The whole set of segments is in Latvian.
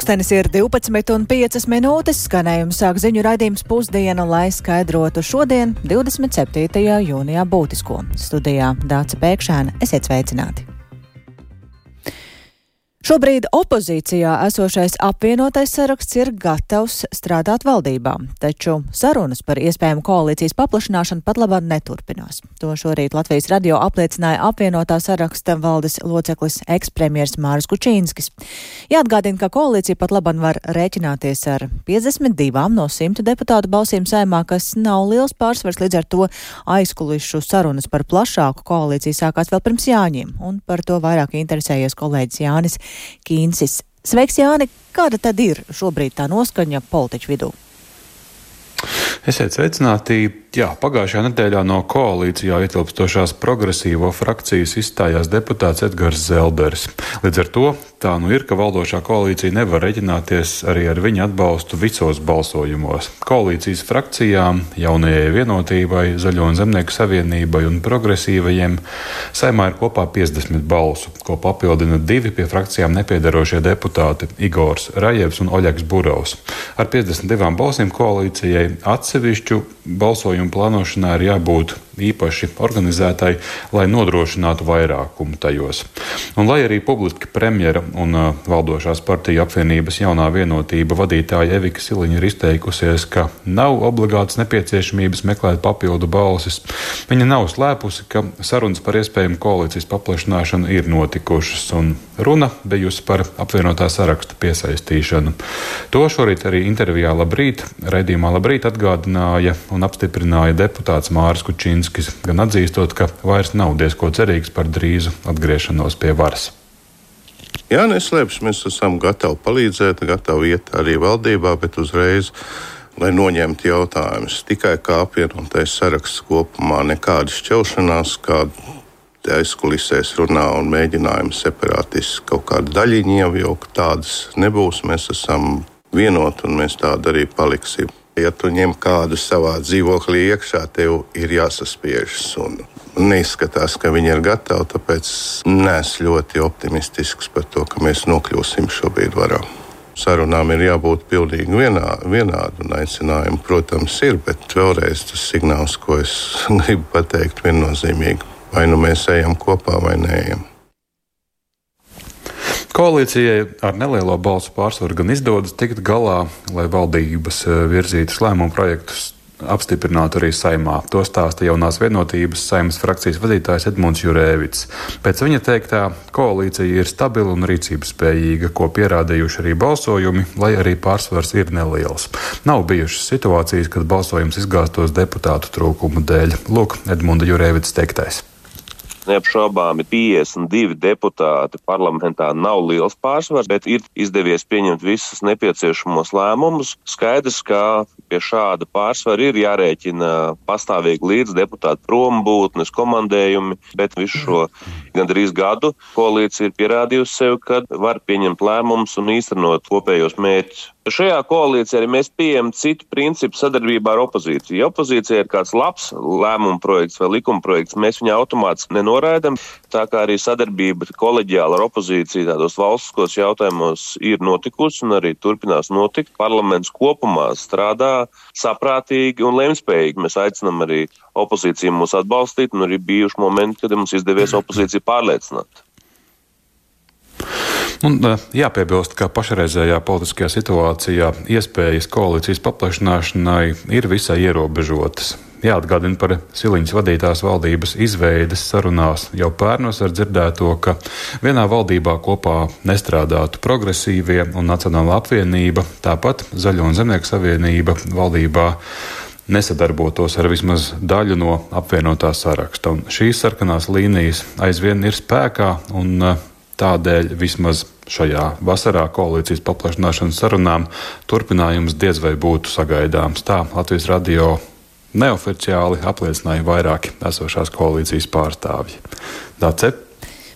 Pulkstenis ir 12:05, skanējums sāk ziņu raidījums Pusdiena, lai skaidrotu šodien, 27. jūnijā būtisko. Studijā Dāca Pēkšēna, esiet sveicināti! Šobrīd opozīcijā esošais apvienotais saraksts ir gatavs strādāt valdībā, taču sarunas par iespējamu koalīcijas paplašināšanu pat labāk neturpinās. To šorīt Latvijas radio apliecināja apvienotā saraksta valdes loceklis ekspremjers Māris Kučīnskis. Jāatgādina, ka koalīcija pat labāk var rēķināties ar 52 no 100 deputātu balsīm Saeimā, kas nav liels pārsvars, līdz ar to aizkulišu sarunas par plašāku koalīciju sākās vēl pirms Jāņiem, un par to vairāk interesējies kolēģis Jānis Kīnsis. Sveiks, Jāni! Kāda tad ir šobrīd tā noskaņa politiķu vidū? Esiet sveicināti! Jā, pagājušajā nedēļā no koalīcijā ietilpstošās progresīvo frakcijas izstājās deputāts Edgars Zelderis. Līdz ar to tā nu ir, ka valdošā koalīcija nevar reģināties arī ar viņa atbalstu visos balsojumos. Koalīcijas frakcijām, Jaunajai Vienotībai, Zaļo un Zemnieku savienībai un progresīvajiem Saeimā ir kopā 50 balsu, ko papildina 2 pie frakcijām nepiedarošie deputāti Igors Rajevs un Oļegs Burovs. Ar 52 balsīm koalīcijai atsevišķu balsojumu plānošanā ir jābūt īpaši organizētai, lai nodrošinātu vairākumu tajos. Un lai arī publiski premjera un valdošās partiju apvienības Jaunā Vienotība vadītāja Evika Siliņa ir izteikusies, ka nav obligātas nepieciešamības meklēt papildu balsis, viņa nav slēpusi, ka sarunas par iespējamu koalīcijas paplašināšanu ir notikušas, un runa bijusi par apvienotā saraksta piesaistīšanu. To šorīt arī intervijā raidījumā Labrīt atgādināja un apstiprināja deputāts Māris Kučīnskis, gan atzīstot, ka vairs nav diezko cerīgs par drīzu atgriešanos pie varas. Jā, neslēpjas, mēs esam gatavi palīdzēt, gatavi iet arī valdībā, bet uzreiz, lai noņemtu jautājumus. Tikai kā apvienotais saraksts kopumā, nekāda šķelšanās, kāda aizkulisēs runā un mēģinājumi separātiski kaut kādu daļiņu ievjaukt, tādas nebūs. Mēs esam vienoti un mēs tādi arī paliksim. Ja tu ņem kādu savā dzīvoklī iekšā, tev ir jāsaspiežas un neizskatās, ka viņi ir gatavi, tāpēc neesmu ļoti optimistisks par to, ka mēs nokļūsim šobrīd varā. Sarunām ir jābūt pilnīgi vienādi un aicinājumi, protams, ir, bet vēlreiz tas signāls, ko es gribu pateikt viennozīmīgi. Vai nu mēs ejam kopā vai neejam. Koalīcijai ar nelielo balsu pārsvaru gan izdodas tikt galā, lai valdības virzītas lēmumu projektus apstiprinātu arī Saeimā. To stāsta Jaunās Vienotības Saeimas frakcijas vadītājs Edmunds Jurēvits. Pēc viņa teiktā, koalīcija ir stabila un rīcības spējīga, ko pierādījuši arī balsojumi, lai arī pārsvars ir neliels. Nav bijušas situācijas, kad balsojums izgāstos deputātu trūkumu dēļ. Lūk, Edmunda Jurēvits teiktais. Neapšaubāmi 52 deputāti parlamentā nav liels pārsvars, bet ir izdevies pieņemt visus nepieciešamos lēmumus. Skaidrs, ka pie šāda pārsvara ir jārēķina pastāvīgi līdz deputātu prombūtnes, komandējumi, bet visu šo gandrīz gadu koalīcija ir pierādījusi sev, ka var pieņemt lēmumus un īstenot kopējos mērķus. Šajā koalīcijā arī mēs pieejam citu principu sadarbībā ar opozīciju. Ja opozīcija ir kāds labs lēmuma projekts vai likuma projekts, mēs viņu automātiski nenoraidam. Tā kā arī sadarbība koleģiāli ar opozīciju tādos valstiskos jautājumos ir notikusi un arī turpinās notikt. Parlaments kopumā strādā saprātīgi un lemjspējīgi. Mēs aicinām arī opozīciju mūs atbalstīt, un arī bijuši momenti, kad mums izdevies opozīciju pārliecināt. Un jāpiebilst, ka pašreizējā politiskajā situācijā iespējas koalīcijas paplašināšanai ir visai ierobežotas. Jāatgādina par Siliņas vadītās valdības izveides sarunās jau pērnos ar dzirdēto, ka vienā valdībā kopā nestrādātu progresīvie un Nacionālā apvienība, tāpat Zaļo un Zemnieku savienība valdībā nesadarbotos ar vismaz daļu no apvienotā saraksta. Un šīs sarkanās līnijas aizvien ir spēkā un tādēļ vismaz šajā vasarā koalīcijas paplašināšanas sarunām turpinājums diez vai būtu sagaidāms. Tā Latvijas radio neoficiāli apliecināja vairāki esošās koalīcijas pārstāvji. Dace?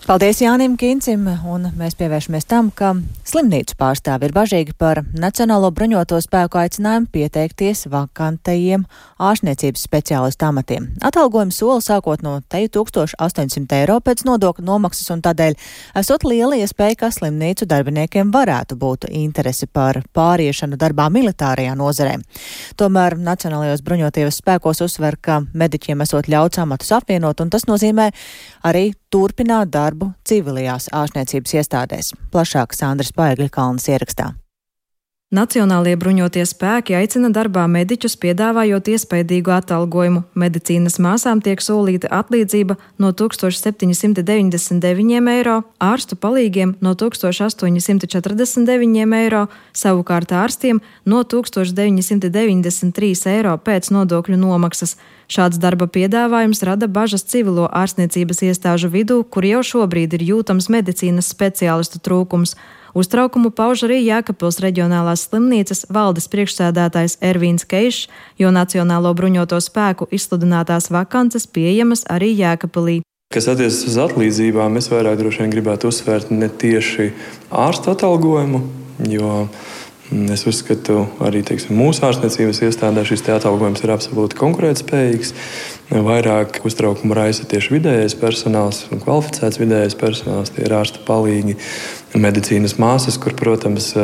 Paldies Jānim Kīncim, un mēs pievēršamies tam, ka slimnīcu pārstāvi ir bažīgi par Nacionālo bruņoto spēku aicinājumu pieteikties vakantajiem ārstniecības speciālistu amatiem. Atalgojuma soli sākot no 1800 eiro pēc nodokļu nomaksas, un tādēļ esot liela iespēja, ka slimnīcu darbiniekiem varētu būt interese par pāriešanu darbā militārajā nozarē. Tomēr Nacionālajos bruņotajos spēkos uzsver, ka mediķiem esot ļauts amatus apvienot, un tas nozīmē arī turpināt darbu civilajās ārstniecības iestādēs. Plašāk Sandras Paegļkalnes ierakstā. Nacionālie bruņotie spēki aicina darbā mediķus, piedāvājot iespaidīgu atalgojumu. Medicīnas māsām tiek solīta atlīdzība no 1799 eiro, ārstu palīgiem no 1849 eiro, savukārt ārstiem no 1993 eiro pēc nodokļu nomaksas. Šāds darba piedāvājums rada bažas civilo ārstniecības iestāžu vidū, kur jau šobrīd ir jūtams medicīnas speciālistu trūkums. Uztraukumu pauž arī Jēkabpils reģionālās slimnīcas valdes priekšsēdētājs Ervīns Keišs, jo Nacionālo bruņoto spēku izsludinātās vakances pieejamas arī Jēkabpilī. Kas attiecas uz atlīdzībām, es vairāk droši vien gribētu uzsvērt ne tieši ārsta atalgojumu, jo es uzskatu, arī mūsu ārstniecības iestādē šis atalgojums ir absolūti konkurētspējīgs. Vairāk uztraukumu raisa tieši vidējais personāls un kvalificēts vidējais personāls, tie ir ārsta palīgi, medicīnas māsas, kur, protams,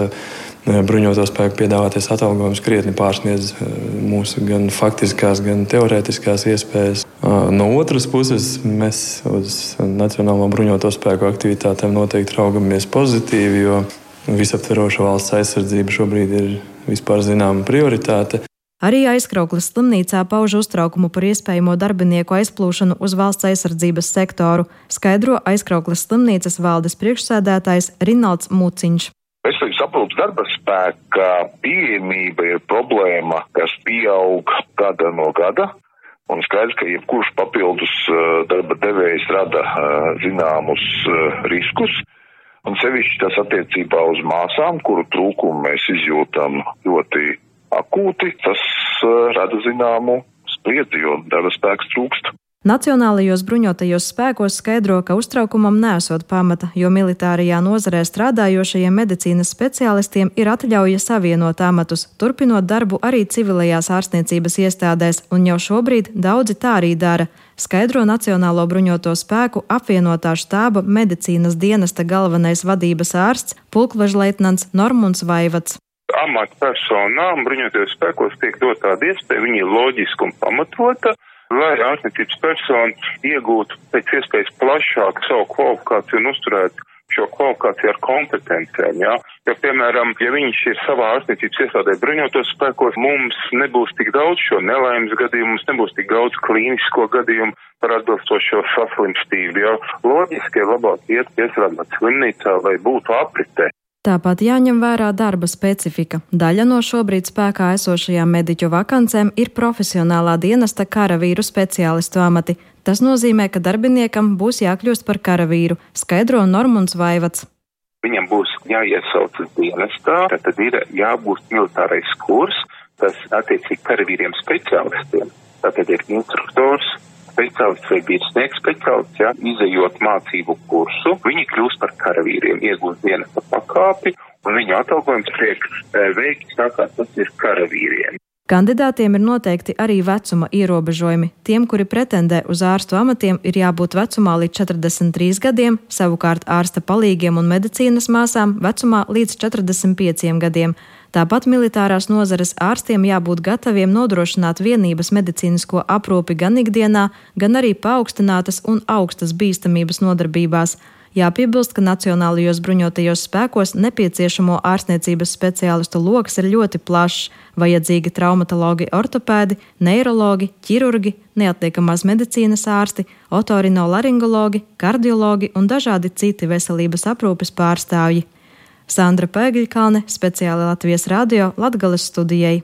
bruņoto spēku piedāvāties atalgojums krietni pārsniedz mūsu gan faktiskās, gan teorētiskās iespējas. No otras puses, mēs uz Nacionālo bruņoto spēku aktivitātēm noteikti raugamies pozitīvi, jo visaptveroša valsts aizsardzība šobrīd ir vispār zināma prioritāte. Arī Aizkraukles slimnīcā pauž uztraukumu par iespējamo darbinieku aizplūšanu uz valsts aizsardzības sektoru, skaidro Aizkraukles slimnīcas valdes priekšsēdētājs Rinalds Muciņš. Veselības aprūpes darba spēka pieejamība ir problēma, kas pieaug gada no gada, un skaidrs, ka jebkurš papildus darba devējs rada zināmus riskus. Un sevišķi tas attiecībā uz māsām, kuru trūkumu mēs izjūtam ļoti akūti, tas rada zināmu spriedzi, jo darba spēks trūkst. Nacionālajos bruņotajos spēkos skaidro, ka uztraukumam nesot pamata, jo militārajā nozarē strādājošajiem medicīnas speciālistiem ir atļauja savienot amatus, turpinot darbu arī civilajās ārstniecības iestādēs, un jau šobrīd daudzi tā arī dara, skaidro Nacionālo bruņoto spēku apvienotā štāba medicīnas dienesta galvenais vadības ārsts pulkvežleitnants Normunds Vaivats. Amatpersonām bruņotajos spēkos tiek dot tāda iespēja, viņa ir loģiska un pamatota, lai ārstniecības persona iegūtu pēc iespējas plašāku savu kvalifikāciju un uzturētu šo kvalifikāciju ar kompetencēm. Ja, piemēram, ja viņš ir savā ārstniecības iestādē bruņotos spēkos, mums nebūs tik daudz šo nelaimes gadījumu, mums nebūs tik daudz klīnisko gadījumu par atbilstošo saslimstību. Ja. Loģiski ir labāk iet iestrādāt slimnīcā, lai būtu apritē. Tāpat jāņem vērā darba specifika. Daļa no šobrīd spēkā esošajām mediķu vakancēm ir profesionālā dienesta karavīru speciālistu amati. Tas nozīmē, ka darbiniekam būs jākļūst par karavīru, skaidro Normunds Vaivats. Viņam būs jāiesaucas dienestā, tad ir jābūt militārais kurs, tas attiecīgi karavīriem speciālistiem. Tātad ir instruktors, speciālists vai virsnieks speciālists, ja, izejot mācību kursu, viņi kļūst par karavīriem, iegūst dienesta pakāpi, un viņu atalgojums tiek veikts tā, kā tas ir karavīriem. Kandidātiem ir noteikti arī vecuma ierobežojumi. Tiem, kuri pretendē uz ārstu amatiem, ir jābūt vecumā līdz 43 gadiem, savukārt ārsta palīgiem un medicīnas māsām vecumā līdz 45 gadiem. Tāpat militārās nozares ārstiem jābūt gataviem nodrošināt vienības medicīnisko aprūpi gan ikdienā, gan arī paaugstinātas un augstas bīstamības nodarbībās. Jāpiebilst, ka Nacionālajos bruņotajos spēkos nepieciešamo ārstniecības speciālistu loks ir ļoti plašs. Vajadzīgi traumatologi, ortopēdi, neirologi, ķirurgi, neatliekamās medicīnas ārsti, otorinolaringologi, kardiologi un dažādi citi veselības aprūpes pārstāvji. Sandra Paegļkalne, speciāli Latvijas radio Latgales studijai.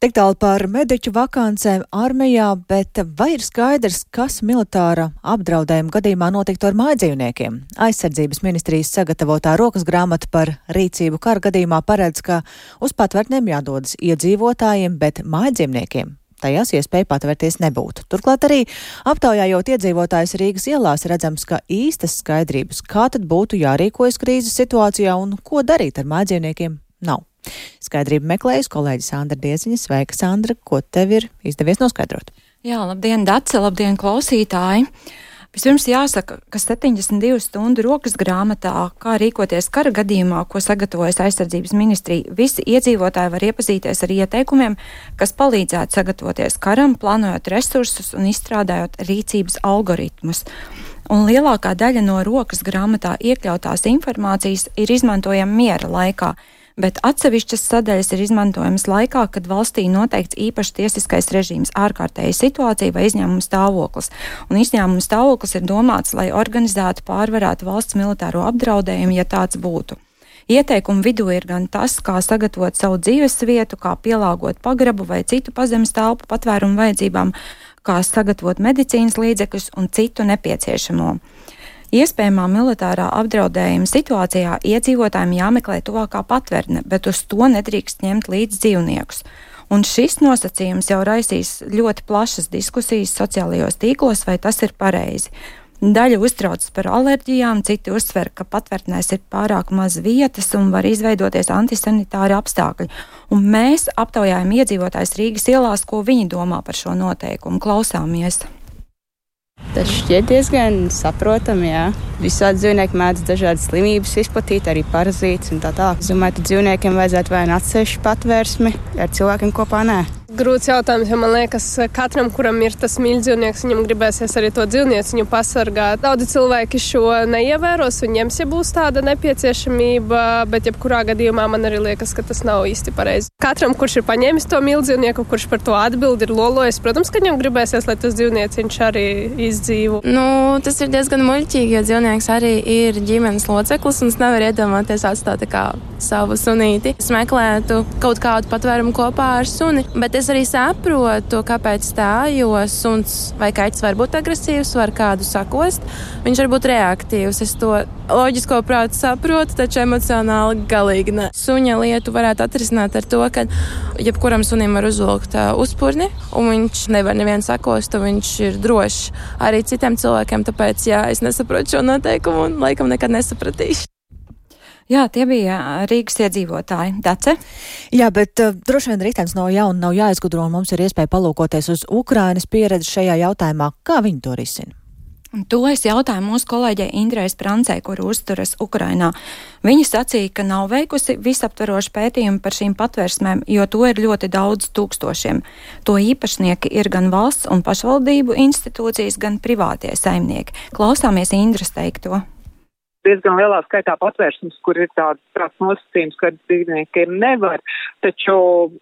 Tik tālu par mediķu vakancēm armijā, bet vai ir skaidrs, kas militāra apdraudējuma gadījumā notiktu ar mājdzīvniekiem? Aizsardzības ministrijas sagatavotā rokas grāmata par rīcību kara gadījumā paredz, ka uz patvērtnēm jādodas iedzīvotājiem, bet mājdzīvniekiem tajās iespēja patvērties nebūtu. Turklāt arī aptaujājot iedzīvotājus Rīgas ielās redzams, ka īstas skaidrības, kā tad būtu jārīkojas krīzes situācijā un ko darīt ar mājdzīvniekiem, nav. Skaidrību meklējusi kolēģi Sandra Dieziņa. Sveika, Sandra, ko tev ir izdevies noskaidrot? Jā, labdien, Dace, labdien, klausītāji! Vispirms jāsaka, ka 72 stundu rokas grāmatā, kā rīkoties kara gadījumā, ko sagatavojas aizsardzības ministrija, visi iedzīvotāji var iepazīties ar ieteikumiem, kas palīdzētu sagatavoties karam, plānojot resursus un izstrādājot rīcības algoritmus. Un lielākā daļa no rokas grāmatā iekļautās informācijas ir izmantojama miera laikā, bet atsevišķas sadaļas ir izmantojamas laikā, kad valstī noteikts īpašs tiesiskais režīms, ārkārtēja situācija vai izņēmuma stāvoklis. Un izņēmuma stāvoklis ir domāts, lai organizētu, pārvarētu valsts militāro apdraudējumu, ja tāds būtu. Ieteikumu vidū ir gan tas, kā sagatavot savu dzīves vietu, kā pielāgot pagrabu vai citu pazemes telpu patvērumu vajadzībām, kā sagatavot medicīnas līdzekļus un citu nepieciešamo. Iespējamā militārā apdraudējuma situācijā iedzīvotājiem jāmeklē tuvākā patverne, bet uz to nedrīkst ņemt līdz dzīvniekus. Un šis nosacījums jau raisīs ļoti plašas diskusijas sociālajos tīklos, vai tas ir pareizi. Daļa uztraucas par alerģijām, citi uzsver, ka patvērtnēs ir pārāk maz vietas un var izveidoties antisanitāri apstākļi. Un mēs aptaujājam iedzīvotājus Rīgas ielās, ko viņi domā par šo noteikumu. Klausāmies! Tas šķiet diezgan saprotami, jā. Visādi dzīvnieki mēdz dažādas slimības izplatīt, arī parazītus un tā tālāk. Es domāju, ka dzīvniekiem vajadzētu vai atsevišķu patvērsmi, ar cilvēkiem kopā nē. Grūts jautājums, jo man liekas, katram, kuram ir tas mīļdzīvnieks, viņam gribēsies arī to dzīvnieciņu pasargāt. Daudzi cilvēki šo neievēros un ņems, ja būs tāda nepieciešamība, bet jebkurā gadījumā man arī liekas, ka tas nav īsti pareizi. Katram, kurš ir paņēmis to mīļdzīvnieku, kurš par to atbild, ir lolojis, protams, ka viņam gribēsies, lai tas dzīvnieciņš arī izdzīvo. Tas ir diezgan muļķīgi, jo dzīvnieks arī ir ģimenes loceklis un es nevaru iedomāties atstāt kā savu sunīti. Es meklētu kaut kādu patvērumu kopā ar suni, bet es arī saprotu, kāpēc tā, jo suns vai kaķis var būt agresīvs, var kādu sakost, viņš var būt reaktīvs. Es to loģisko prātu saprotu, taču emocionāli galīgi ne. Suņa lietu varētu atrisināt ar to, ka jebkuram sunim var uzvilkt uzpurni, un viņš nevar nevienu sakost, un viņš ir drošs arī citiem cilvēkiem, tāpēc, jā, es nesaprotu šo noteikumu un laikam nekad nesapratīšu. Jā, tie bija Rīgas iedzīvotāji. Dace? Jā, bet droši vien ritenis no jauna nav jāizgudro, un mums ir iespēja palūkoties uz Ukrainas pieredzi šajā jautājumā. Kā viņi to risina? Un to es jautāju mūsu kolēģei Indrei Sprancei, kur uzturas Ukrainā. Viņa sacīja, ka nav veikusi visaptverošu pētījumu par šīm patvērsmēm, jo to ir ļoti daudz tūkstošiem. To īpašnieki ir gan valsts un pašvaldību institūcijas, gan privātie saimnieki. Klausāmies Indras teikto. Diezgan lielā skaitā patvērsmes, kur ir tāds nosacījums, ka dzīvniekiem nevar, taču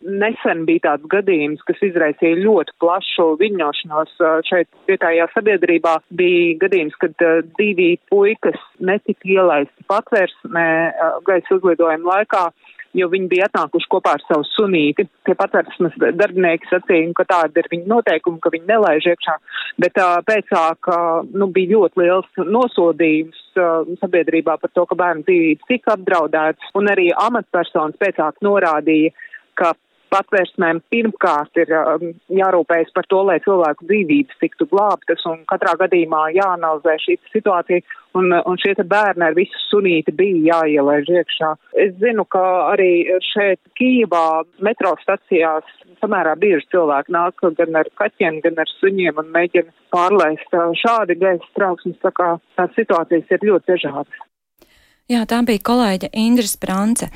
nesen bija tāds gadījums, kas izraisīja ļoti plašu viļņošanos šeit vietējā sabiedrībā. Bija gadījums, kad 2 puikas netika ielaisti patvērsmē gaisa uzlidojuma laikā, jo viņi bija atnākuši kopā ar savu sunīti. Tie patvērsmes darbinieki sacīja, ka tāda ir viņa noteikuma, ka viņi nelaiž iekšā, bet pēcāk bija ļoti liels nosodījums sabiedrībā par to, ka bērnu dzīvības tika apdraudētas, un arī amatpersonas pēcāk norādīja, ka patvērsmēm pirmkārt ir jārūpējas par to, lai cilvēku dzīvības tiktu glābtas, un katrā gadījumā jāanalizē šī situācija, un šie bērni ar visu sunīti bija jāielaiž iekšā. Es zinu, ka arī šeit Kijivā metro stacijās samērā bieži cilvēki nāk gan ar kaķiem, gan ar suņiem un mēģina pārlaist šādi gaisa trauksmes, tā kā tās situācijas ir ļoti dažādas. Jā, tā bija kolēģe Indra Sprance.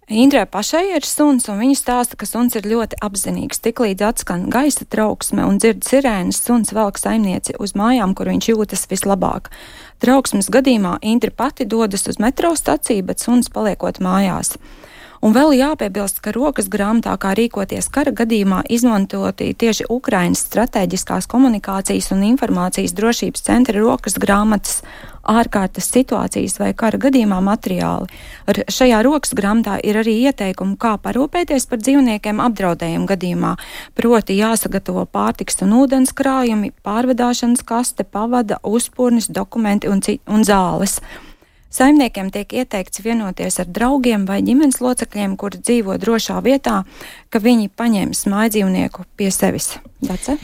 Indrai pašai ir suns, un viņa stāsta, ka suns ir ļoti apzinīgs. Tiklīdz atskan gaisa trauksme un dzird sirēnas, suns velk saimnieci uz mājām, kur viņš jūtas vislabāk. Trauksmes gadījumā Indra pati dodas uz metro staciju, bet suns paliekot mājās. Un vēl jāpiebilst, ka rokas grāmatā, kā rīkoties kara gadījumā, izmantoti tieši Ukrainas strateģiskās komunikācijas un informācijas drošības centra rokas grāmatas ārkārtas situācijas vai kara gadījumā materiāli. Šajā rokas grāmatā ir arī ieteikumi, kā parūpēties par dzīvniekiem apdraudējumu gadījumā, proti jāsagatavo pārtiks un ūdens krājumi, pārvadāšanas kaste, pavada, uzpurnis, dokumenti un zāles. Saimniekiem tiek ieteikts vienoties ar draugiem vai ģimenes locekļiem, kuri dzīvo drošā vietā, ka viņi paņems mājdzīvnieku pie sevis. Dace?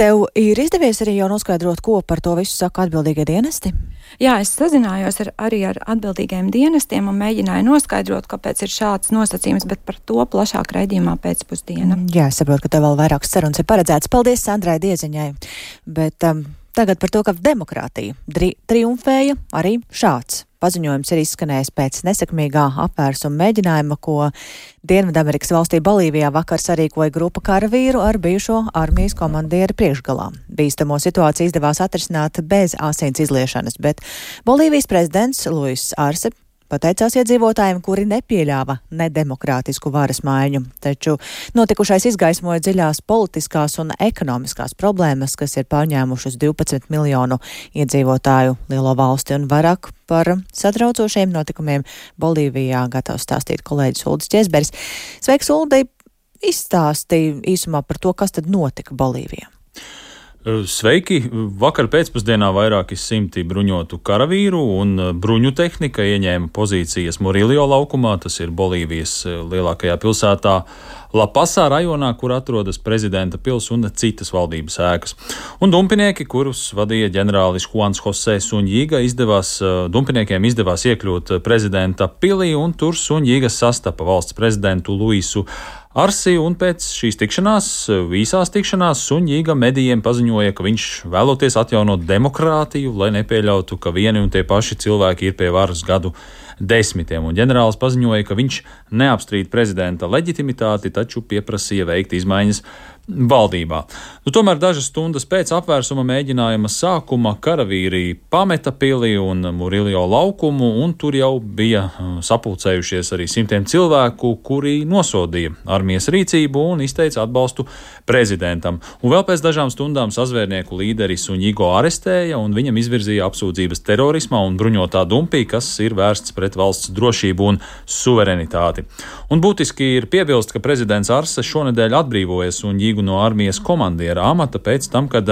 Tev ir izdevies arī jau noskaidrot, ko par to visu saka atbildīgie dienesti? Jā, es sazinājos arī ar atbildīgajiem dienestiem un mēģināju noskaidrot, kāpēc ir šāds nosacījums, bet par to plašāk raidījumā pēcpusdiena. Jā, es saprotu, ka tev vēl vairākas sarunas ir paredzētas. Paldies Sandrai Dieziņai. Bet tagad par to, ka demokrātija triumfēja arī šāds paziņojums ir izskanējis pēc nesekmīgā apvērsuma mēģinājuma, ko Dienvidamerikas valstī Bolīvijā vakar sarīkoja grupa karavīru ar bijušo armijas komandieri priekšgalā. Bīstamo situāciju izdevās atrisināt bez asins izliešanas, bet Bolīvijas prezidents Luis Arce pateicās iedzīvotājiem, kuri nepieļāva nedemokrātisku varas maiņu. Taču notikušais izgaismoja dziļās politiskās un ekonomiskās problēmas, kas ir pārņēmušas 12 miljonu iedzīvotāju lielo valsti, un vairāk par satraucošiem notikumiem Bolīvijā gatavs stāstīt kolēģis Uldis Ķesberis. Sveiks, Uldi! Izstāstīja īsumā par to, kas tad notika Bolīvijā. Sveiki! Vakar pēcpusdienā vairāki simti bruņotu karavīru un bruņu tehnika ieņēma pozīcijas Murillo laukumā, tas ir Bolīvijas lielākajā pilsētā Lapasā rajonā, kur atrodas prezidenta pils un citas valdības ēkas. Un dumpinieki, kurus vadīja ģenerālis Juans José Suņģiga, dumpiniekiem izdevās iekļūt prezidenta pilī, un tur Suņģiga sastapa valsts prezidentu Luisu Arsi, un pēc šīs īsās tikšanās Suņģiga medijiem paziņoja, ka viņš vēloties atjaunot demokrātiju, lai nepieļautu, ka vieni un tie paši cilvēki ir pie varas gadu desmitiem. Un ģenerālis paziņoja, ka viņš neapstrīd prezidenta leģitimitāti, taču pieprasīja veikt izmaiņas valdībā. Tomēr dažas stundas pēc apvērsuma mēģinājuma sākuma karavīri pameta pili un Murillo laukumu, un tur jau bija sapulcējušies arī simtiem cilvēku, kuri nosodīja armijas rīcību un izteica atbalstu prezidentam. Un vēl pēc dažām stundām sazvērnieku līderis Suņģigo arestēja, un viņam izvirzīja apsūdzības terorismā un bruņotā dumpī, kas ir vērsts pret valsts drošību un suverenitāti. Un būtiski ir piebilst, ka prezidents Arse šonedēļ atbrīvoja Suņģigu no armijas komandiera amata pēc tam, kad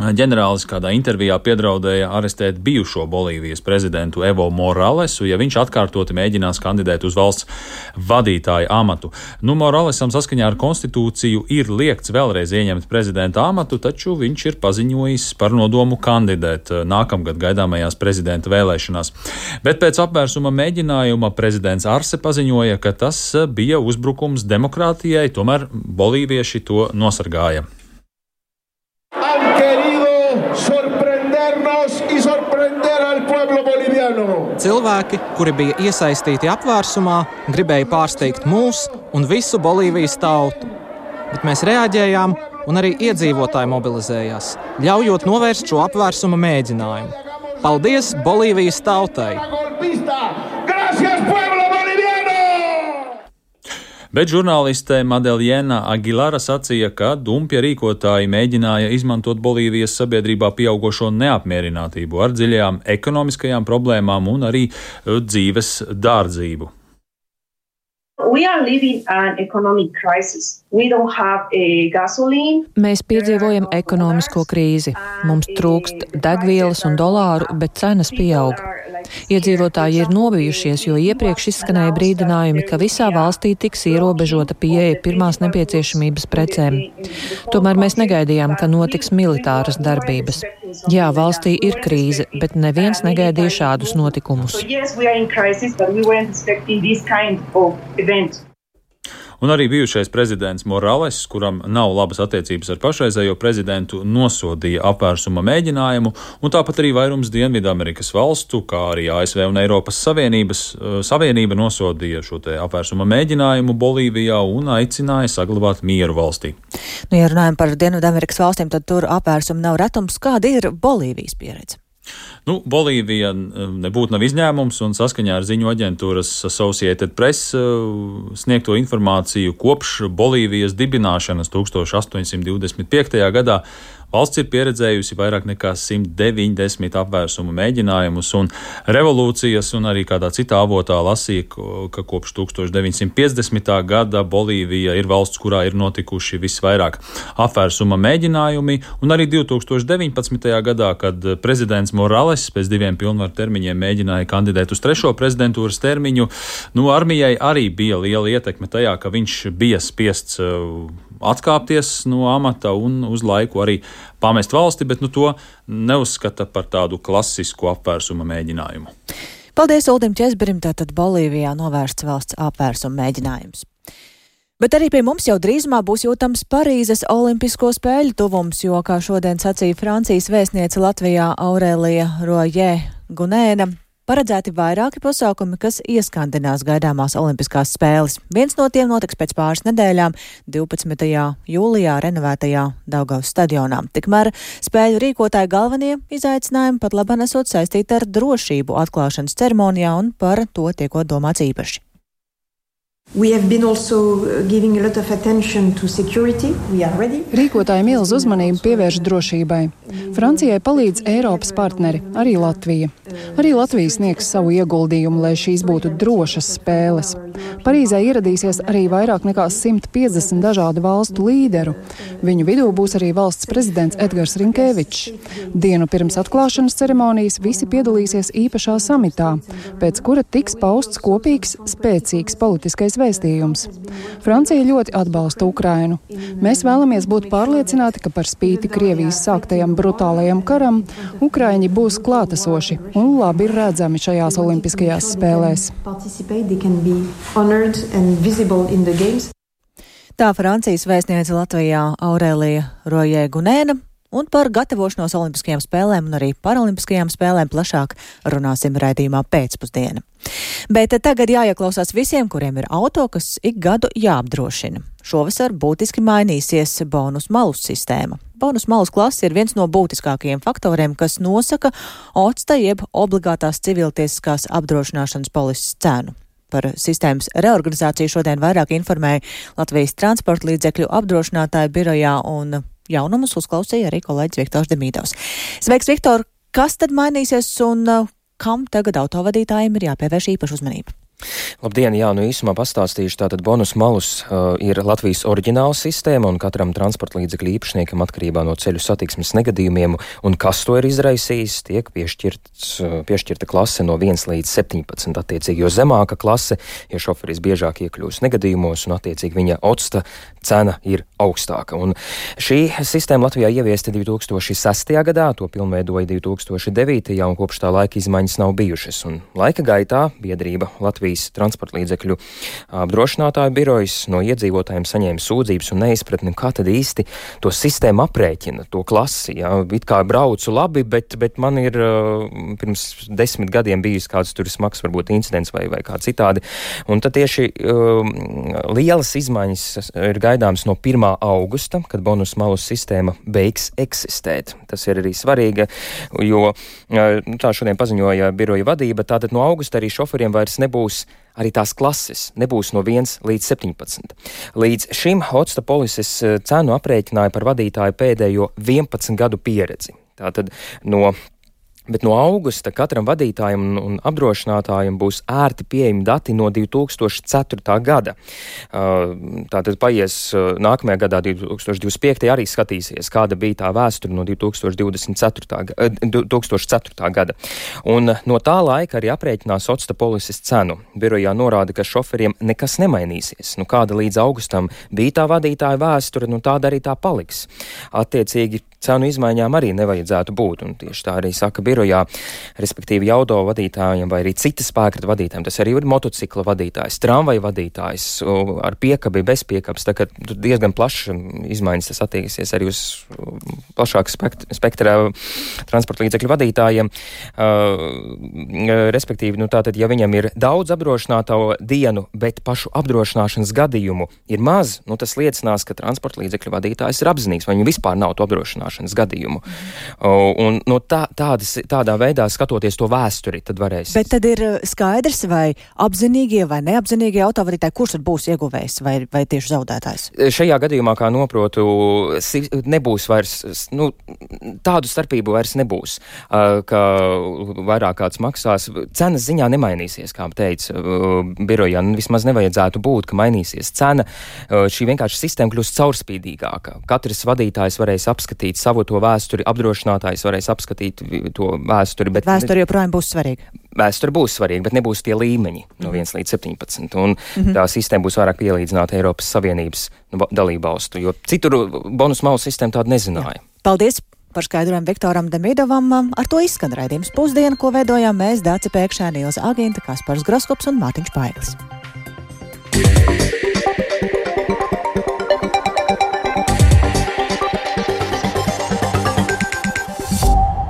ģenerālis kādā intervijā piedraudēja arestēt bijušo Bolīvijas prezidentu Evo Moralesu, ja viņš atkārtoti mēģinās kandidēt uz valsts vadītāja amatu. Moralesam saskaņā ar konstitūciju ir liegts vēlreiz ieņemt prezidenta amatu, taču viņš ir paziņojis par nodomu kandidēt nākamgad gaidāmajās prezidenta vēlēšanās. Bet pēc apvērsuma mēģinājuma prezidents Arse paziņoja, ka tas bija uzbrukums demokrātijai, tomēr bolīvieši to nosargāja. Cilvēki, kuri bija iesaistīti apvērsumā, gribēja pārsteigt mūs un visu Bolīvijas tautu. Bet mēs reaģējām, un arī iedzīvotāji mobilizējās, ļaujot novērst šo apvērsuma mēģinājumu. Paldies Bolīvijas tautai! Bet žurnāliste Madeljena Aguilara sacīja, ka dumpja rīkotāji mēģināja izmantot Bolīvijas sabiedrībā pieaugošo neapmierinātību ar dziļajām ekonomiskajām problēmām un arī dzīves dārdzību. Mēs piedzīvojam ekonomisko krīzi. Mums trūkst degvielas un dolāru, bet cenas pieaug. Iedzīvotāji ir nobijušies, jo iepriekš izskanēja brīdinājumi, ka visā valstī tiks ierobežota pieeja pirmās nepieciešamības precēm. Tomēr mēs negaidījām, ka notiks militāras darbības. Jā, valstī ir krīze, bet neviens negaidīja šādus notikumus. Un arī bijušais prezidents Morales, kuram nav labas attiecības ar pašreizējo prezidentu, nosodīja apvērsuma mēģinājumu, un tāpat arī vairums Dienvidamerikas valstu, kā arī ASV un Eiropas Savienība nosodīja šo te apvērsuma mēģinājumu Bolīvijā un aicināja saglabāt mieru valstī. Ja runājam par Dienvidamerikas valstīm, tad tur apvērsuma nav retums. Kāda ir Bolīvijas pieredze? Bolīvija nebūtu nav izņēmums, un saskaņā ar ziņu aģentūras Associated Press sniegto informāciju kopš Bolīvijas dibināšanas 1825. gadā valsts ir pieredzējusi vairāk nekā 190 apvērsuma mēģinājumus un revolūcijas, un arī kādā citā avotā lasīja, ka kopš 1950. gada Bolīvija ir valsts, kurā ir notikuši visvairāk apvērsuma mēģinājumi, un arī 2019. gadā, kad prezidents Morales pēc 2 pilnvaru termiņiem mēģināja kandidēt uz 3. prezidentūras termiņu, armijai arī bija liela ietekme tajā, ka viņš bija spiests atkāpties no amata un uz laiku arī pamest valsti, bet to neuzskata par tādu klasisku apvērsuma mēģinājumu. Paldies Uldim Česberim, tātad Bolīvijā novērsts valsts apvērsuma mēģinājums. Bet arī pie mums jau drīzumā būs jūtams Parīzes olimpisko spēļu tuvums, jo, kā šodien sacīja Francijas vēstniece Latvijā Aurēlija Roje-Gunēna, paredzēti vairāki pasākumi, kas ieskandinās gaidāmās olimpiskās spēles. Viens no tiem notiks pēc pāris nedēļām, 12. jūlijā renovētajā Daugavas stadionā. Tikmēr spēļu rīkotāji galvenie izaicinājumi pat labāk esot saistīti ar drošību atklāšanas ceremonijā, un par to tiekot domāts īpaši. Rīkotāji milzu uzmanību pievērš drošībai. Francijai palīdz Eiropas partneri, arī Latvija. Arī Latvija sniegs savu ieguldījumu, lai šīs būtu drošas spēles. Parīzē ieradīsies arī vairāk nekā 150 dažādu valstu līderu. Viņu vidū būs arī valsts prezidents Edgars Rinkevičs. Dienu pirms atklāšanas ceremonijas visi piedalīsies īpašā samitā, pēc kura tiks pausts kopīgs, spēcīgs politiskais vēstījums. Francija ļoti atbalsta Ukrainu. Mēs vēlamies būt pārliecināti, ka par spīti Krievijas sāktajam brutālajam karam, Ukraiņi būs klātesoši un labi redzami šajās olimpiskajās spēlēs. Tā Francijas vēstniece Latvijā Aurēlija Roje-Gunēna. Un par gatavošanos olimpiskajām spēlēm un arī paralimpiskajām spēlēm plašāk runāsim raidījumā pēcpusdiena. Bet tagad jāieklausās visiem, kuriem ir auto, kas ik gadu jāapdrošina. Šovasar būtiski mainīsies bonus malus sistēma. Bonus malus klase ir viens no būtiskākajiem faktoriem, kas nosaka OCTA jeb obligātās civiltiesiskās apdrošināšanas polises cenu. Par sistēmas reorganizāciju šodien vairāk informēja Latvijas transporta līdzekļu apdrošinātāju birojā, un jaunumus uzklausīja arī kolēģis Viktors Demīdovs. Sveiks, Viktor! Kas tad mainīsies un kam tagad autovadītājiem ir jāpievērš īpaša uzmanība? Labdien, īsumā pastāstīšu. Tātad bonus malus ir Latvijas oriģināla sistēma, un katram transporta līdzekļu īpašniekam atkarībā no ceļu satiksmes negadījumiem un kas to ir izraisījis, tiek piešķirta klase no 1 līdz 17. Attiecīgi, jo zemāka klase, ja šoferis biežāk iekļūst negadījumos, un attiecīgi viņa OCTA cena ir augstāka. Un šī sistēma Latvijā ieviesta 2006. gadā, to pilnveidoja 2009. un kopš tā laika izmaiņas nav bijušas. Un laika gaitā biedrība Latvijas transporta līdzekļu apdrošinātāju birojas no iedzīvotājiem saņēma sūdzības un neizpratni, kā tad īsti to sistēmu aprēķina, to klasi. It kā braucu labi, bet man ir pirms 10 gadiem bijis kāds tur smags varbūt incidents vai kā citādi. Un tad tieši lielas izmaiņas ir gaidāms no 1. augusta, kad bonus malus sistēma beigs eksistēt. Tas ir arī svarīgi, jo tā šodien paziņoja biroja vadība, tātad no augusta arī šoferiem vairs nebūs arī tās klases, nebūs no 1 līdz 17. Līdz šim OCTA polises cenu aprēķināja par vadītāju pēdējo 11 gadu pieredzi. Tātad Bet no augusta katram vadītājam un apdrošinātājam būs ērti pieejami dati no 2004. gada. Tātad paies nākamajā gadā, 2025. arī skatīsies, kāda bija tā vēsture no 2004. gada. Un no tā laika arī aprēķinās OCTA polises cenu. Birojā norāda, ka šoferiem nekas nemainīsies. Kāda līdz augustam bija tā vadītāja vēsture, tāda arī tā paliks. Attiecīgi, cenu izmaiņām arī nevajadzētu būt, un tieši tā arī saka birojā, respektīvi auto vadītājiem vai arī citas spēkrata vadītājiem. Tas arī ir motocikla vadītājs, tramvaja vadītājs, ar piekabi, bez piekabas, tā kā diezgan plašs izmaiņas tas attieksies arī uz plašāku spektra transporta līdzekļu vadītājiem. Respektīvi, tātad, ja viņam ir daudz apdrošināto dienu, bet pašu apdrošināšanas gadījumu ir maz, tas liecinās, ka transporta līdzekļu vadītājs ir apzinīgs, vai viņam vispār nav to apdrošināšanas gadījumu. Un tādā veidā skatoties to vēsturi, tad varēs. Bet tad ir skaidrs, vai apzinīgie vai neapzinīgie autovadītāji, kurš tad būs ieguvējs vai tieši zaudētājs? Šajā gadījumā, kā noprotu, nebūs vairs tādu starpību vairs nebūs, ka vairāk kāds maksās. Cenas ziņā nemainīsies, kā teica birojā, vismaz nevajadzētu būt, ka mainīsies cena. Šī vienkārši sistēma kļūst caurspīdīgāka. Katrs vadītājs varēs apskatīt savu to vēsturi, apdrošinātājs varēs apskatīt to vēsturi. Bet vēsture joprojām būs svarīga. Vēsture būs svarīga, bet nebūs tie līmeņi no 1 līdz 17. Un tā sistēma būs vairāk pielīdzināta Eiropas Savienības dalībvalstu, jo citur bonus malu sistēma tādu nezināja. Paldies par skaidrojumu Viktoram Demidovam. Ar to izskan raidījums Pusdiena, ko veidojām mēs, Dāce Pēkšēni, Ilza Agīnta, Kaspars Groskops un Mātiņš Paiglis.